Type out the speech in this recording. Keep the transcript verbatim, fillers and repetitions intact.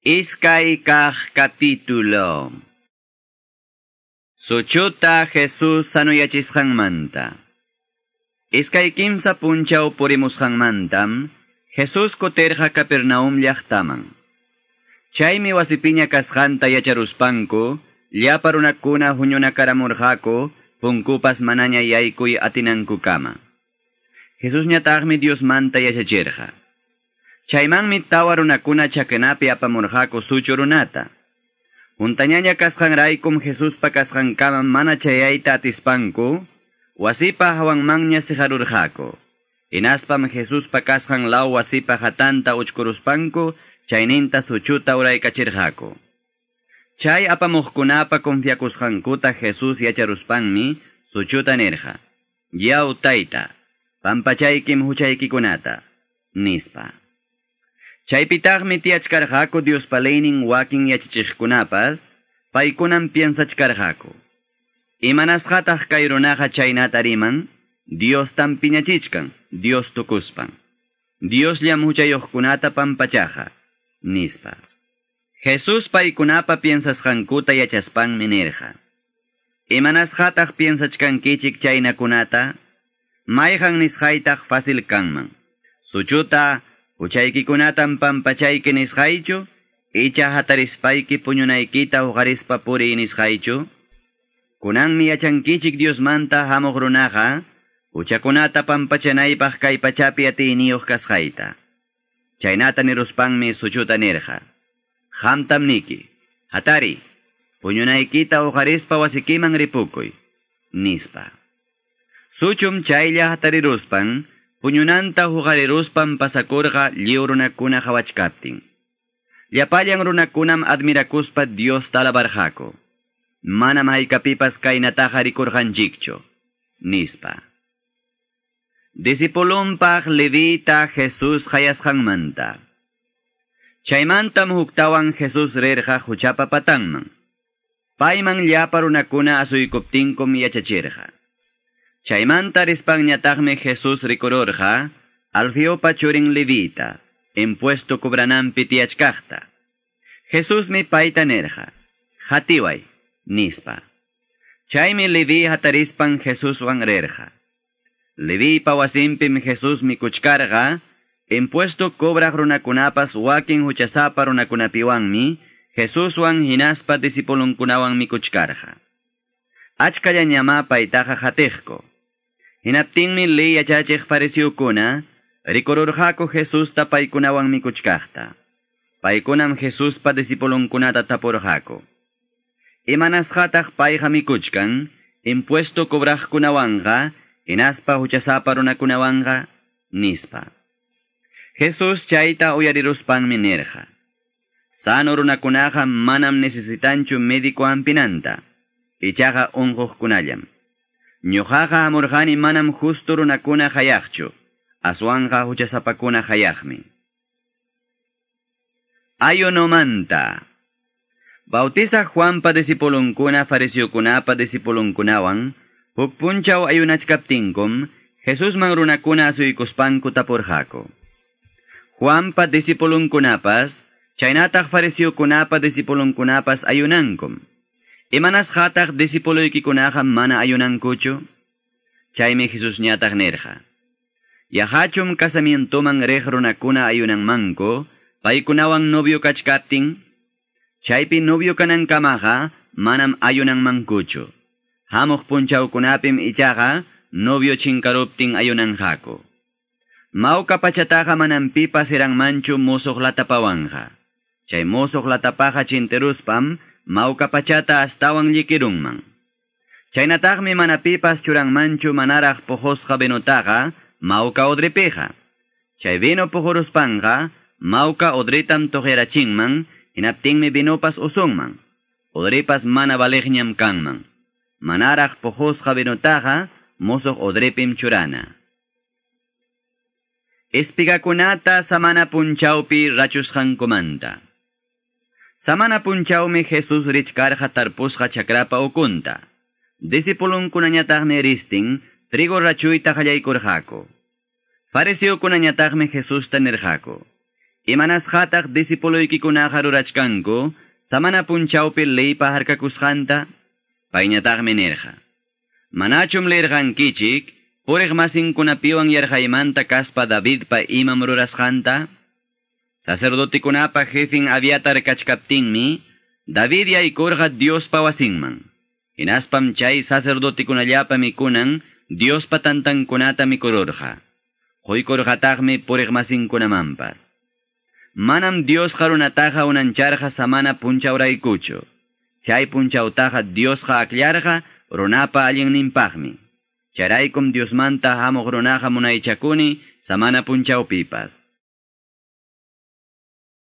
Iskay kaq capítulo. Suchuta Jesus sanuyachisqanmanta. Iskay kimsa punchaw purimusqanmantam, Jesus kutirqa Capernaum llaqtaman. Chaymi wasipiña kasqanta yacharuspanku, llapa runakuna huñunakaramurqaku, punkupas manaña yaykuy atinankukama. Jesusñataqmi Diosmanta yachachirqa. Chaymanmi tawa runakuna chakanapi apamurqaku suchu runata. Huntañaña kasqanraykum Jesuspa kasqankama mana chayayta atispanku, wasipa hawanmanña siqarurqaku. Hinaspam Jesuspa kasqan law wasipa hatanta uchkuruspanku, chayninta suchuta uraykachirqaku. Chay apamuqkunapa confiakusqankuta Jesús yacharuspanmi suchuta nirqa: "Yaw tayta, pampachaykim huchaykikunata", nispa. Chaypitaqmi tiyachkarqaku Diospa leynin wakin yachachiqkunapas, paykunam piensachkarqaku: "Imanasqataq kay runaqa chaynata riman? Diostam piñachichkan, Dios tukuspan. Diosllam huchayuqkunata pampachaqa", nispa. Jesús paykunapa piensasqankuta yachaspanmi nirqa: "Imanasqataq piensachkankichik chaynakunata? Mayqan nisqaytaq fácil kanman? Suchuta huchaykikunatam pampachayki nisqaychu, icha hatarispayki puñunaykita huqarispa puriy nisqaychu? Kunanmi yachankichik Diosmanta hamuq runaqa, huchakunata pampachanaypaq kay pachapi atiyniyuq kasqayta." Chaynata niruspanmi suchuta nirqa: "Qamtam niki, hatari, puñunaykita huqarispa wasikiman ripukuy", nispa. Suchum chaylla hatariruspan, puñunanta huqariruspan pasakurqa lliw runakuna qhawachkaptin. Llapallan runakunam admirakuspa Diosta alabarqaku: "Manam haykapipas kaynataqa rikurqanchikchu", nispa. Discipulunpaq Levita Jesús qayasqanmanta. Chaymantam huktawan Jesús rirqa huchapa patanman. Payman llapa runakuna asuykuptinkum yachachirqa. Chaymanta rispanñataqmi Jesús rikururqa Alfeopa churin Levita, impuesto cobrananpi tiyachkaqta. Jesusmi payta nirqa: "Qatiway", nispa. Chaymi Leví hatarispan Jesuswan rirqa. Levipa wasinpim Jesús mikuchkarqa, impuesto cobraq runakunapas wakin huchasapa runakunapiwanmi Jesuswan hinaspa discipulunkunawan mikuchkarqa. Achkallañamá paytaqa qatiqku. Hinaptinmi ley yachachiq fariseokuna rikururqaku Jesusta paykunawan mikuchkaqta. Paykunam Jesuspa discipulunkunata tapurqaku: "Imanasqataq payqa mikuchkan impuesto cobraqkunawanqa hinaspa huchasapa runakunawanqa?" nispa. Jesús chayta uyariruspanmi nirqa: "Sano runakunaqa manam necesitanchu médico hampinanta, ichaqa unquqkunallam. Ñuqaqa hamurqani manam justo runakuna qayaqchu, aswanqa huchasapakuna qayaqmi." Ayunomanta. Bautizaq Juanpa discipulunkuna fariseokunapa discipulunkunawan huk punchaw ayunachkaptinkum, Jesusman runakuna asuykuspanku tapurqaku: "Juanpa discipulunkunapas, chaynataq fariseokunapa discipulunkunapas ayunankum. Imanasqataq discipuloykikunaqa mana ayunankuchu?" Chaymi Jesusñataq nirqa: "Yaqachum casamientoman riq runakuna ayunanmanku, paykunawan novio kachkaptin? Chaypi novio kanankamaqa manam ayunanmankuchu. Hamuq punchawkunapim ichaqa novio chinkaruptin ayunanqaku. Mawka pachataqa manam pipas hiranmanchu musuq latapawanqa. Chay musuq latapaqa chintiruspam mawka pachata astawan llikirunman. Chaynataqmi mana pipas churanmanchu manaraq puqusqa vinutaqa mawka odripiqa. Chay vino puquruspanqa mawka odritam tuqyarachinman, hinaptinmi vinopas usunman. Odripas mana valiqñam kanman. Manaraq puqusqa vinutaqa musuq odripim churana." Espigakunata samana punchawpi rachusqankumanta. Samana punchawmi Jesús richkarqa tarpusqa chakrapa ukunta. Discipulunkunañataqmi ristin trigo rachuyta qallaykurqaku. Fariseokunañataqmi Jesusta nirqaku: Imanasqataq disipuluykikunaqa rurachkanku, samana punchawpi leypa harkakusqanta? Payñataqmi nirqa. Manachum leerqankichik, puriq masinkunapiwan yarqaymanta kaspa Davidpa imam rurasqanta? Sacerdotekunapa jefin Abiatar kachkaptinmi, David yaykurqa Diospa wasinman. Hinaspam chay sacerdotekunallapa mikunan Diospa tantankunata mikururqa. Quykurqataqmi puriq masinkunamanpas. Manam Diosqa runataqa unancharqa samana punchawraykuchu. Chay punchawtaqa Diosqa akllarqa runapa allinninpaqmi. Chayraykum Diosmanta hamuq runaqa munaychakuni samana punchawpipas.